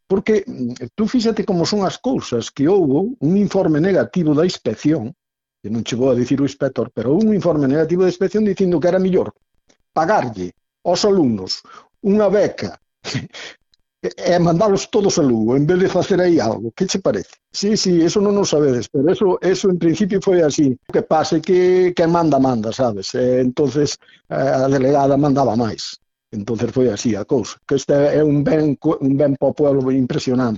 Porque tú fíxate como son as cousas, que houbo un informe negativo da inspección, que non chegou a dicir o inspector, pero un informe negativo da inspección dicindo que era mellor pagarlle aos alumnos unha beca e mandalos todos a Lugo, en vez de facer aí algo. Que che parece? Sí, sí, eso non o sabedes, pero eso en principio foi así. O que pasa é que manda, sabes? Entonces a delegada mandaba máis. Entonces foi así a cousa. Que este é un ben para o pueblo impresionante.